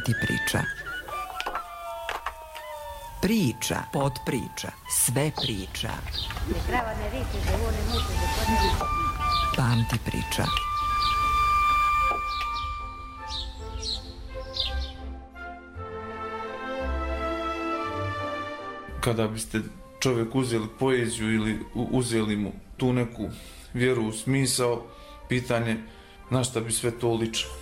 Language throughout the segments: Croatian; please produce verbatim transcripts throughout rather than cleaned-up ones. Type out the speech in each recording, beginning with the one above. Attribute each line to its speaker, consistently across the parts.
Speaker 1: Pamti priča. Priča, podpriča, sve priča. Pamti priča.
Speaker 2: Kada biste čovjek uzeli poeziju ili uzeli mu tu neku vjeru u smisao, pitanje na šta bi sve to ličilo.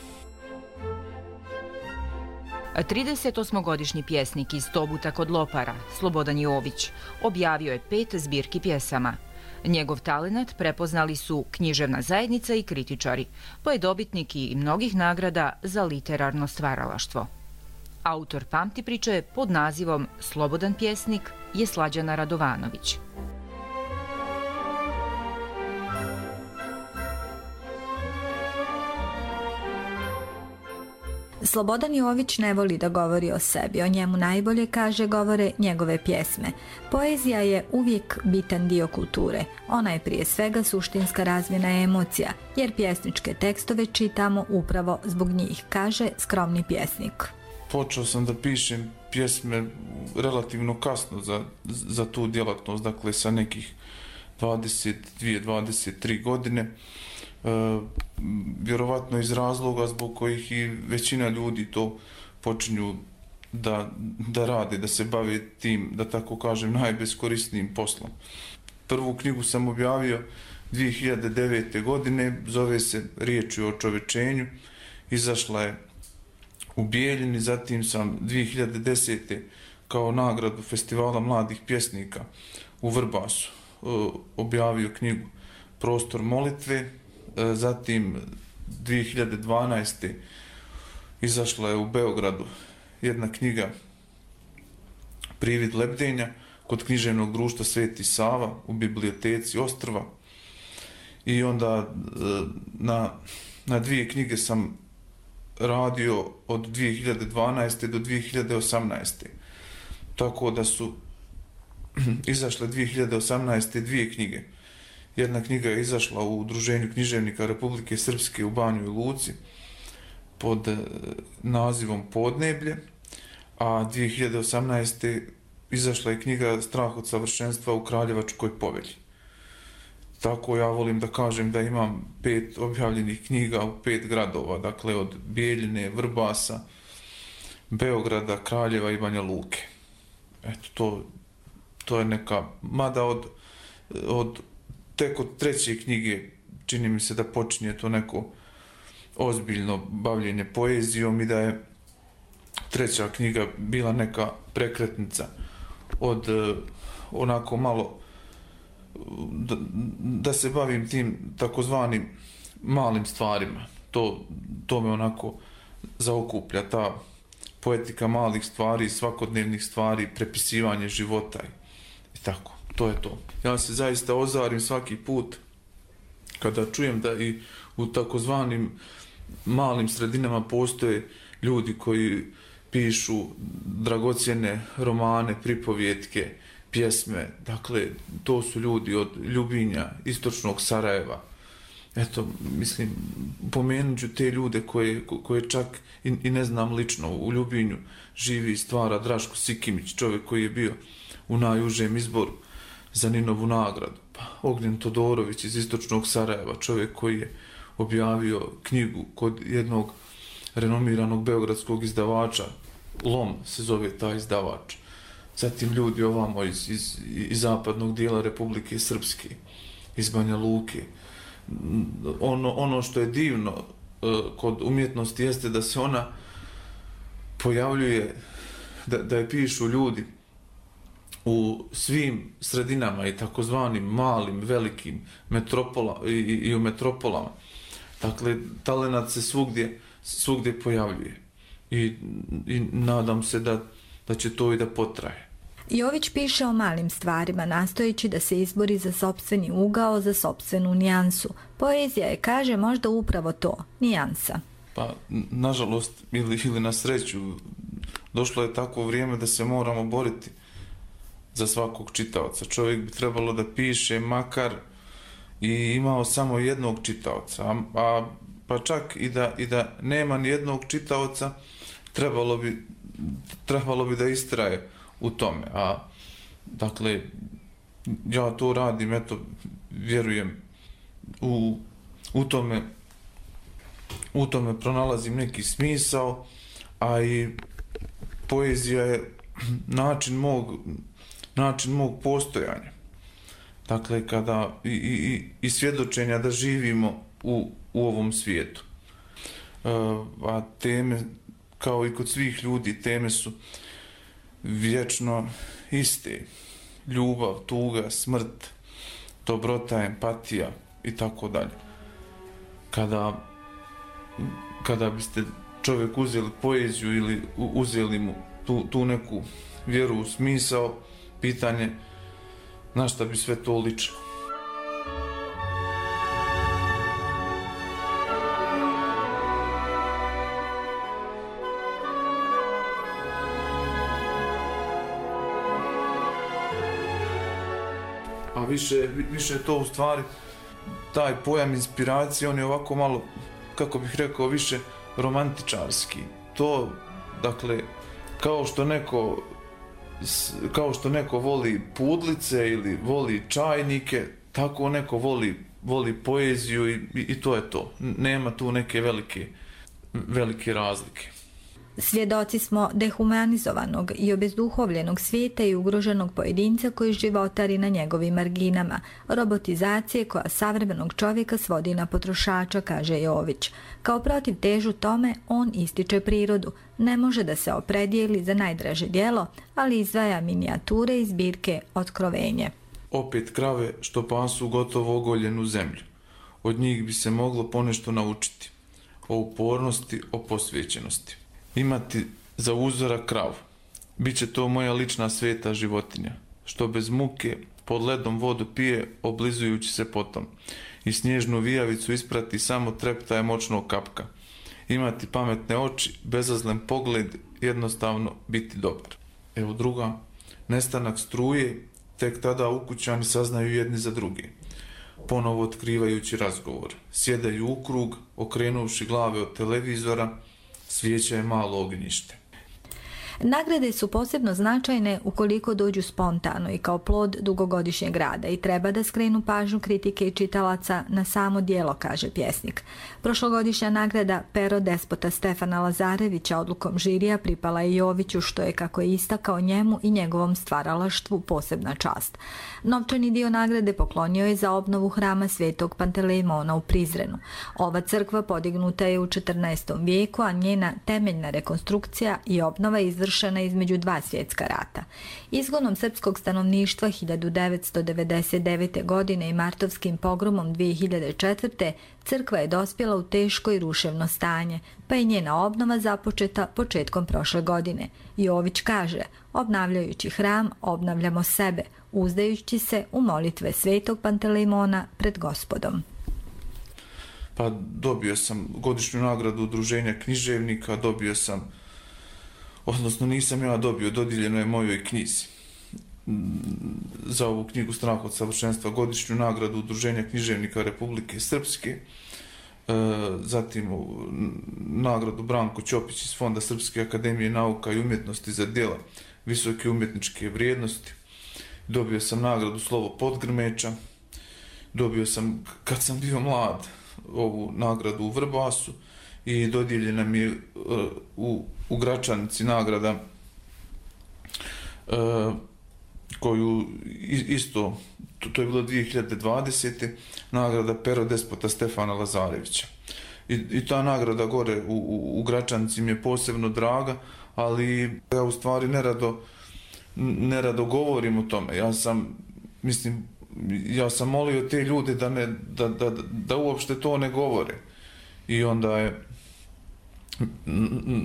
Speaker 3: tridesetosmogodišnji pjesnik iz Tobuta kod Lopara, Slobodan Jović, objavio je pet zbirki pjesama. Njegov talenat prepoznali su književna zajednica i kritičari, pa je dobitnik i mnogih nagrada za literarno stvaralaštvo. Autor Pamti priče pod nazivom Slobodan pjesnik je Slađana Radovanović.
Speaker 4: Slobodan Jović ne voli da govori o sebi, o njemu najbolje, kaže, govore njegove pjesme. Poezija je uvijek bitan dio kulture. Ona je prije svega suštinska razmjena emocija, jer pjesničke tekstove čitamo upravo zbog njih, kaže skromni pjesnik.
Speaker 2: Počeo sam da pišem pjesme relativno kasno za, za tu djelatnost, dakle sa nekih dvadeset dvije do dvadeset tri godine. E, vjerovatno iz razloga zbog kojih i većina ljudi to počinju da, da rade, da se bave tim, da tako kažem, najbeskorisnijim poslom. Prvu knjigu sam objavio dvije hiljade devete. godine, zove se Riječi o čovečenju, izašla je u Bijeljini, zatim sam dvije hiljade desete. kao nagradu Festivala mladih pjesnika u Vrbasu e, objavio knjigu Prostor molitve. Zatim dvije hiljade dvanaeste. izašla je u Beogradu jedna knjiga Privid lebdenja kod književnog društva Sveti Sava u biblioteci Ostrva. I onda na, na dvije knjige sam radio od dvije hiljade dvanaeste. do dvije hiljade osamnaeste. Tako da su izašle dvije hiljade osamnaeste. dvije knjige. Jedna knjiga je izašla u Udruženju književnika Republike Srpske u Banjoj Luci pod nazivom Podneblje, a dvije hiljade osamnaeste. izašla je knjiga Strah od savršenstva u Kraljevačkoj povelji. Tako ja volim da kažem da imam pet objavljenih knjiga u pet gradova, dakle od Bijeljine, Vrbasa, Beograda, Kraljeva i Banja Luke. Eto, to, to je neka, mada od, od tek od treće knjige čini mi se da počinje to neko ozbiljno bavljenje poezijom i da je treća knjiga bila neka prekretnica od onako malo da, da se bavim tim takozvanim malim stvarima. To, to me onako zaokuplja, ta poetika malih stvari, svakodnevnih stvari, prepisivanje života i, i tako. To je to. Ja se zaista ozarim svaki put kada čujem da i u takozvanim malim sredinama postoje ljudi koji pišu dragocjene romane, pripovjetke, pjesme. Dakle, to su ljudi od Ljubinja, istočnog Sarajeva. Eto, mislim, pomenut ću te ljude koje, koje čak i, i ne znam lično. U Ljubinju živi i stvara Draško Sikimić, čovjek koji je bio u najužem izboru za Ninovu nagradu. Pa, Ognjen Todorović iz istočnog Sarajeva, čovjek koji je objavio knjigu kod jednog renomiranog beogradskog izdavača, Lom se zove taj izdavač. Zatim ljudi ovamo iz, iz, iz zapadnog dijela Republike Srpske, iz Banja Luke. Ono, ono što je divno uh, kod umjetnosti jeste da se ona pojavljuje, da, da je pišu ljudi u svim sredinama i takozvanim malim, velikim metropola, i, i u metropolama. Dakle, talenat se svugdje, svugdje pojavljuje i, i nadam se da, da će to i da potraje.
Speaker 4: Jović piše o malim stvarima, nastojeći da se izbori za sopstveni ugao, za sopstvenu nijansu. Poezija je, kaže, možda upravo to, nijansa.
Speaker 2: Pa, nažalost, ili, ili na sreću, došlo je takvo vrijeme da se moramo boriti za svakog čitaoca. Čovjek bi trebalo da piše makar i imao samo jednog čitaoca, a, a pa čak i da, i da nema ni jednog čitaoca, trebalo bi, trebalo bi da istraje u tome. A, dakle, ja to radim, eto, vjerujem, u, u tome u tome pronalazim neki smisao, a i poezija je način mog, način mog postojanja. Dakle, kada i, i, i svjedočenja da živimo u, u ovom svijetu. E, a teme, kao i kod svih ljudi, teme su vječno iste. Ljubav, tuga, smrt, dobrota, empatija i tako dalje. Kada, kada biste čovjek uzeli poeziju ili uzeli mu tu, tu neku vjeru u smisao, pitanje na šta bi sve to ličilo. A više, više je to u stvari taj pojam inspiracije, on je ovako malo, kako bih rekao, više romantičarski. To, dakle, kao što neko kao što neko voli pudlice ili voli čajnike, tako neko voli, voli poeziju i, i to je to. Nema tu neke velike, velike razlike.
Speaker 4: Svjedoci smo dehumanizovanog i obezduhovljenog svijeta i ugroženog pojedinca koji životari na njegovim marginama, robotizacije koja savremenog čovjeka svodi na potrošača, kaže Jović. Kao protiv težu tome, on ističe prirodu. Ne može da se opredijeli za najdraže djelo, ali izdvaja minijature iz zbirke Otkrovenje.
Speaker 2: Opet krave što pasu gotovo ogoljenu zemlju. Od njih bi se moglo ponešto naučiti. O upornosti, o posvećenosti. Imati za uzora kravu. Biće to moja lična sveta životinja, što bez muke pod ledom vodu pije, oblizujući se potom. I snježnu vijavicu isprati samo treptaje moćnog kapka. Imati pametne oči, bezazlen pogled, jednostavno biti dobar. Evo druga, nestanak struje, tek tada ukućani saznaju jedni za druge. Ponovo otkrivajući razgovor. Sjedaju u krug, okrenuvši glave od televizora, svijeća je malo ognjište.
Speaker 4: Nagrade su posebno značajne ukoliko dođu spontano i kao plod dugogodišnjeg rada i treba da skrenu pažnju kritike i čitalaca na samo djelo, kaže pjesnik. Prošlogodišnja nagrada Pero despota Stefana Lazarevića odlukom žirija pripala je Joviću, što je, kako je istakao, njemu i njegovom stvaralaštvu posebna čast. Novčani dio nagrade poklonio je za obnovu hrama Svetog Pantelejmona u Prizrenu. Ova crkva podignuta je u četrnaestom vijeku, a njena temeljna rekonstrukcija i obnova je izvršena između dva svjetska rata. Izgonom srpskog stanovništva hiljadu devetsto devedeset devete. godine i martovskim pogromom dvije hiljade četvrte. crkva je dospjela u teško i ruševno stanje, pa je njena obnova započeta početkom prošle godine. Jović kaže, obnavljajući hram, obnavljamo sebe, uzdajući se u molitve Svetog Pantelejmona pred Gospodom.
Speaker 2: Pa dobio sam godišnju nagradu Udruženja književnika, dobio sam, odnosno nisam ja dobio, dodijeljeno je mojoj knjizi za ovu knjigu Strah od savršenstva, godišnju nagradu Udruženja književnika Republike Srpske, zatim nagradu Branko Ćopić iz Fonda Srpske akademije nauka i umjetnosti za djela visoke umjetničke vrijednosti. Dobio sam nagradu Slovo Podgrmeča, dobio sam, kad sam bio mlad, ovu nagradu u Vrbasu i dodijeljena mi je u, u Gračanici nagrada koju isto, to, to je bilo dvije hiljade dvadesete. nagrada Pero despota Stefana Lazarevića. I, i ta nagrada gore u, u, u Gračanici mi je posebno draga, ali ja u stvari nerado, nerado govorim o tome. Ja sam, mislim, ja sam molio te ljude da, ne, da, da, da uopšte to ne govore. I onda je,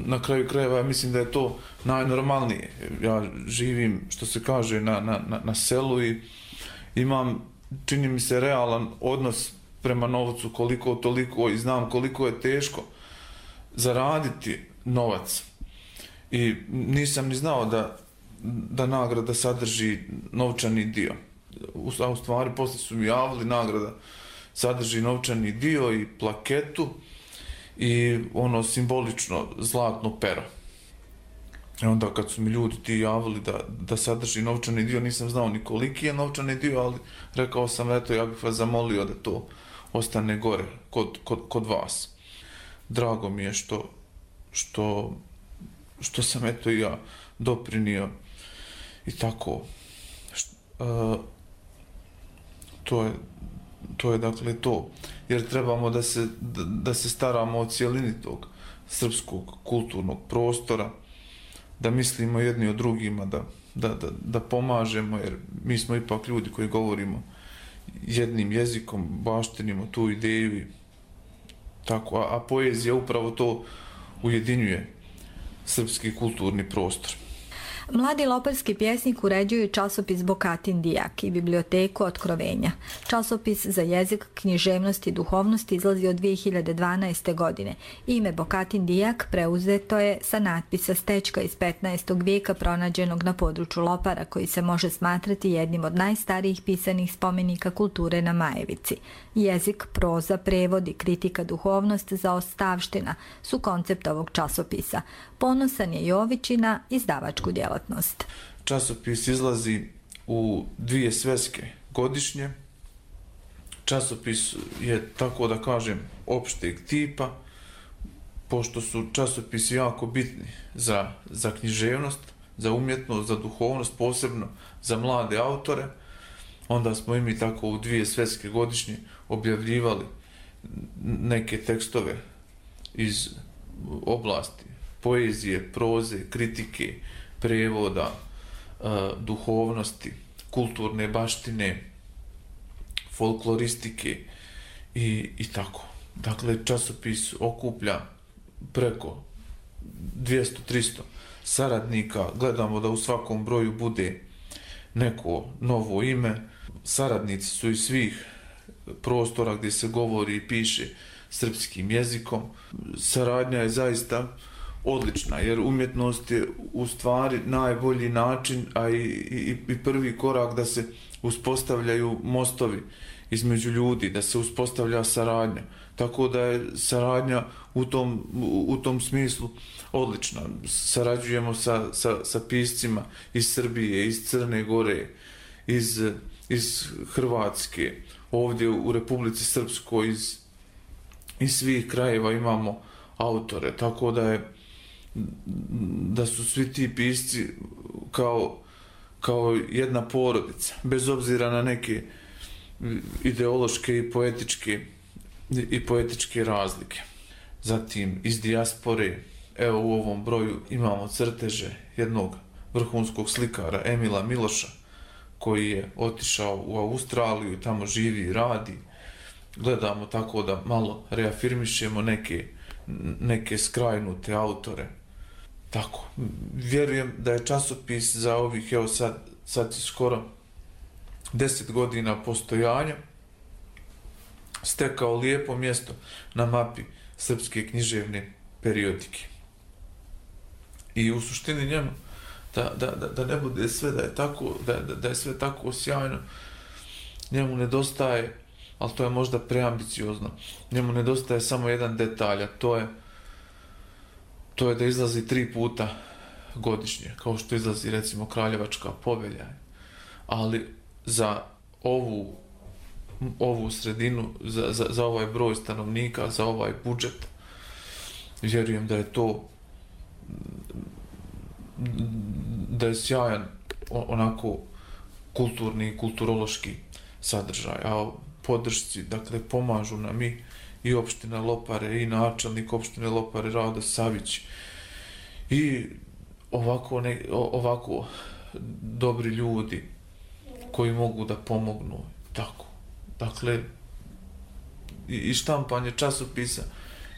Speaker 2: na kraju krajeva, mislim da je to najnormalnije. Ja živim, što se kaže, na, na, na selu i imam, čini mi se, realan odnos prema novcu, koliko toliko, i znam koliko je teško zaraditi novac. I nisam ni znao da, da nagrada sadrži novčani dio. A u stvari, posle su mi javili, nagrada sadrži novčani dio i plaketu i ono simbolično zlatno pero. I onda kad su mi ljudi ti javili da, da sadrži novčani dio, nisam znao ni koliki je novčani dio, ali rekao sam, eto, ja bih vas zamolio da to ostane gore kod, kod, kod vas. Drago mi je što, što, što sam eto i ja doprinio i tako. Uh, to je, to je dakle to. Jer trebamo da se, da, da se staramo o cijelini tog srpskog kulturnog prostora, da mislimo jedni o drugima, da, da, da, da pomažemo, jer mi smo ipak ljudi koji govorimo jednim jezikom, baštinimo tu ideju i tako, a, a poezija upravo to ujedinjuje srpski kulturni prostor.
Speaker 4: Mladi loparski pjesnik uređuju časopis Bokatin Dijak i biblioteku Otkrovenja. Časopis za jezik, književnost i duhovnost izlazi od dvije hiljade dvanaeste. godine. Ime Bokatin Dijak preuzeto je sa natpisa stečka iz petnaestog vijeka pronađenog na području Lopara, koji se može smatrati jednim od najstarijih pisanih spomenika kulture na Majevici. Jezik, proza, prevod i kritika duhovnost za ostavština su koncept ovog časopisa. Ponosan je Jović i na izdavačku djelatnost.
Speaker 2: Časopis izlazi u dvije sveske godišnje. Časopis je, tako da kažem, opšteg tipa, pošto su časopisi jako bitni za, za književnost, za umjetnost, za duhovnost, posebno za mlade autore. Onda smo i mi tako u dvije sveske godišnje objavljivali neke tekstove iz oblasti poezije, proze, kritike, prevoda, duhovnosti, kulturne baštine, folkloristike i, i tako. Dakle, časopis okuplja preko dvjesto do tristo saradnika. Gledamo da u svakom broju bude neko novo ime. Saradnici su iz svih prostora gdje se govori i piše srpskim jezikom. Saradnja je zaista odlična, jer umjetnost je u stvari najbolji način, a i, i, i prvi korak da se uspostavljaju mostovi između ljudi, da se uspostavlja saradnja. Tako da je saradnja u tom, u, u tom smislu odlična. Sarađujemo sa, sa, sa piscima iz Srbije, iz Crne Gore, iz, iz Hrvatske, ovdje u Republici Srpskoj, iz, iz svih krajeva imamo autore, tako da je da su svi ti pisci kao, kao jedna porodica, bez obzira na neke ideološke i poetičke i poetičke razlike. Zatim iz dijaspore, evo u ovom broju imamo crteže jednog vrhunskog slikara Emila Miloša, koji je otišao u Australiju i tamo živi i radi. Gledamo tako da malo reafirmišemo neke, neke skrajnute autore. Tako, vjerujem da je časopis za ovih, evo sad, sad je skoro deset godina postojanja, stekao lijepo mjesto na mapi srpske književne periodike. I u suštini njemu, da, da, da, da ne bude sve da je tako, da, da, da je sve tako sjajno, njemu nedostaje, ali to je možda preambiciozno, njemu nedostaje samo jedan detalj, a to je to je da izlazi tri puta godišnje, kao što izlazi recimo Kraljevačka povelja. Ali za ovu, ovu sredinu, za, za, za ovaj broj stanovnika, za ovaj budžet, vjerujem da je to da je sjajan onako kulturni i kulturološki sadržaj. A podršci, dakle, pomažu nam i i opština Lopare, i načelnik opštine Lopare Rado Savić, i ovako, ne, ovako dobri ljudi koji mogu da pomognu. Tako. Dakle, i štampanje časopisa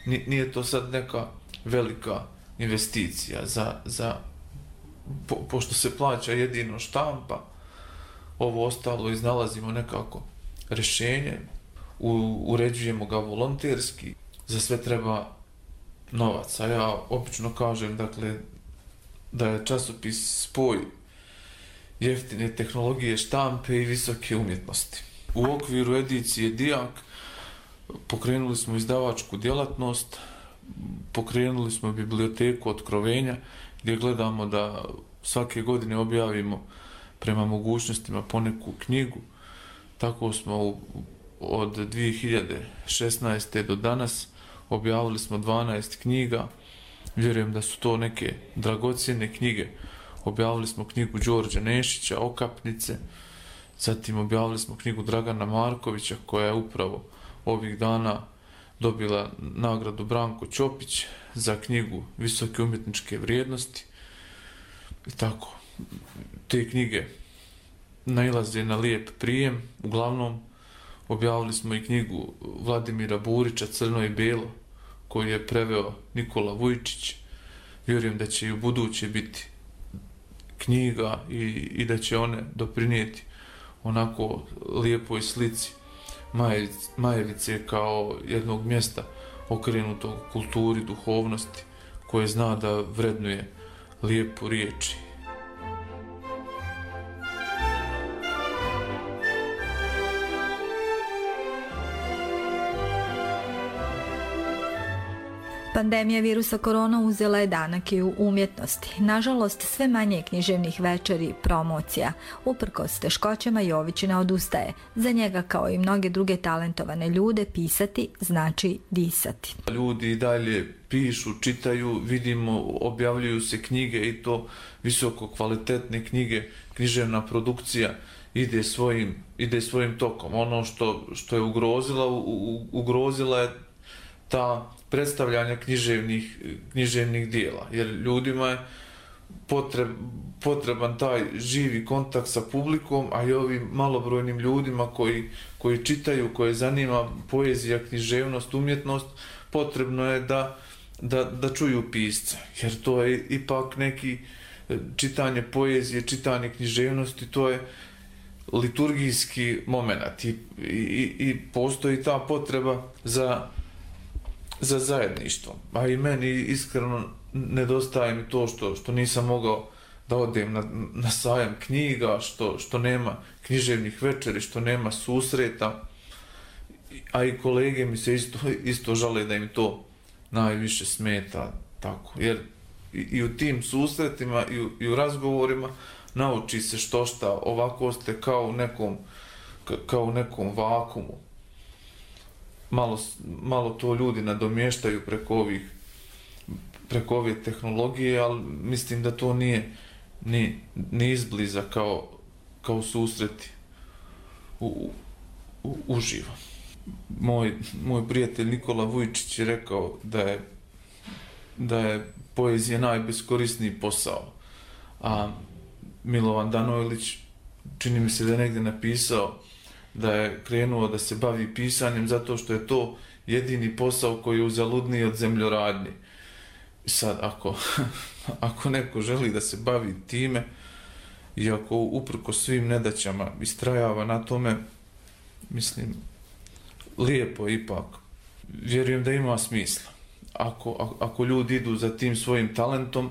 Speaker 2: nije to sad neka velika investicija za, za po, pošto se plaća jedino štampa, ovo ostalo iznalazimo nekako rješenje, u, uređujemo ga volonterski, za sve treba novac. A ja obično kažem, dakle, da je časopis spoj jeftine tehnologije štampe i visoke umjetnosti. U okviru edicije Dijak pokrenuli smo izdavačku djelatnost, pokrenuli smo biblioteku Otkrovenja gdje gledamo da svake godine objavimo prema mogućnostima poneku knjigu. Tako smo od dvije hiljade šesnaeste. do danas objavili smo dvanaest knjiga. Vjerujem da su to neke dragocjene knjige. Objavili smo knjigu Đorđa Nešića, Okapnice. Zatim objavili smo knjigu Dragana Markovića, koja je upravo ovih dana dobila nagradu Branko Ćopić za knjigu Visoke umjetničke vrijednosti. I tako, te knjige nailaze na lijep prijem. Uglavnom, objavili smo i knjigu Vladimira Burića Crno i Belo, koju je preveo Nikola Vujčić. Vjerujem da će i u buduće biti knjiga i, i da će one doprinijeti onako lijepoj slici Majevice kao jednog mjesta okrenutog kulturi, duhovnosti, koje zna da vrednuje lijepu riječi.
Speaker 4: Pandemija virusa korona uzela je danak i u umjetnosti. Nažalost, sve manje književnih večeri, promocija. Uprkos teškoćama Jović ne odustaje. Za njega, kao i mnoge druge talentovane ljude, pisati znači disati.
Speaker 2: Ljudi i dalje pišu, čitaju, vidimo, objavljuju se knjige i to visoko kvalitetne knjige, književna produkcija ide svojim, ide svojim tokom. Ono što, što je ugrozila, u, u, ugrozila je ta predstavljanja književnih, književnih dijela, jer ljudima je potreb, potreban taj živi kontakt sa publikom, a i ovim malobrojnim ljudima koji, koji čitaju, koje zanima poezija, književnost, umjetnost, potrebno je da, da, da čuju pisca, jer to je ipak neki čitanje poezije, čitanje književnosti, to je liturgijski moment i, i, i postoji ta potreba za za zajedništvo. A i meni iskreno nedostaje mi to što, što nisam mogao da odem na, na sajam knjiga, što, što nema književnih večeri, što nema susreta. A i kolege mi se isto, isto žale da im to najviše smeta. Tako. Jer i, i u tim susretima i u, i u razgovorima nauči se što šta. Ovako ste kao u nekom, kao u nekom vakumu. Malo, malo to ljudi nadomještaju preko ovih preko ove tehnologije, ali mislim da to nije ni, ni izbliza kao, kao susreti u, u, uživo. Moj, moj prijatelj Nikola Vujčić je rekao da je, da je poezija najbeskorisniji posao, a Milovan Danojlić čini mi se da je negdje napisao da je krenuo da se bavi pisanjem zato što je to jedini posao koji je uzaludniji od zemljoradnje. I sad, ako, ako neko želi da se bavi time i ako uprko svim nedaćama istrajava na tome, mislim, lijepo je ipak. Vjerujem da ima smisla. Ako, ako ljudi idu za tim svojim talentom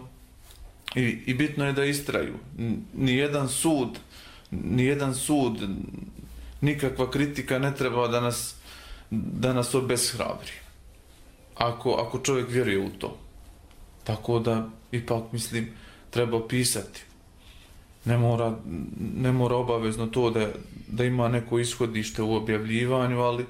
Speaker 2: i, i bitno je da istraju. Nijedan sud, nijedan sud, nikakva kritika ne treba da nas, da nas obeshrabri. Ako, ako čovjek vjeruje u to. Tako da, ipak, mislim, treba pisati. Ne mora, ne mora obavezno to da, da ima neko ishodište u objavljivanju, ali,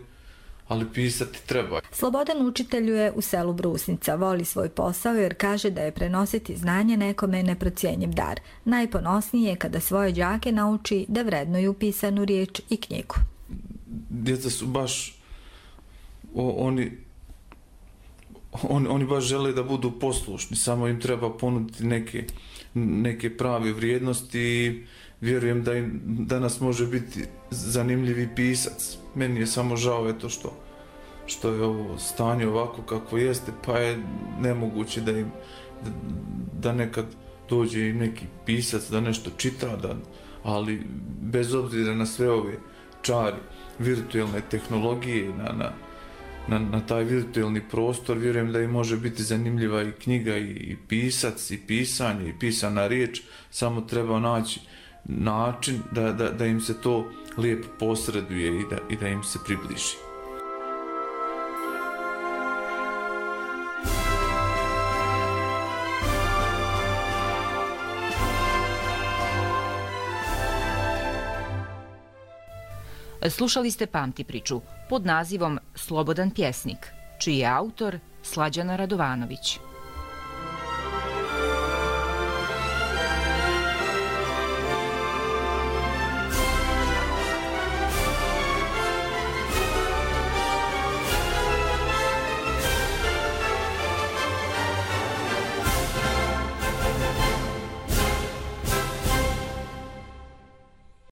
Speaker 2: ali pisati treba.
Speaker 4: Slobodan učiteljuje u selu Brusnica, voli svoj posao jer kaže da je prenositi znanje nekome neprocijenjiv dar. Najponosnije je kada svoje đake nauči da vrednuju pisanu riječ i knjigu.
Speaker 2: Djeca su baš, o, oni, on, oni baš žele da budu poslušni, samo im treba ponuditi neke, neke prave vrijednosti i vjerujem da im danas može biti zanimljivi pisac. Meni je samo žao eto što, što je ovo stanje ovako kako jeste, pa je nemoguće da im da, da nekad dođe im neki pisac da nešto čita, da, ali bez obzira na sve ove čari virtualne tehnologije, na, na, na, na taj virtualni prostor, vjerujem da im može biti zanimljiva i knjiga i, i pisac i pisanje i pisana riječ, samo treba naći način da, da, da im se to lijepo posreduje i da, i da im se približi.
Speaker 3: Slušali ste Pamti priču pod nazivom Slobodan pjesnik, čiji je autor Slađana Radovanović.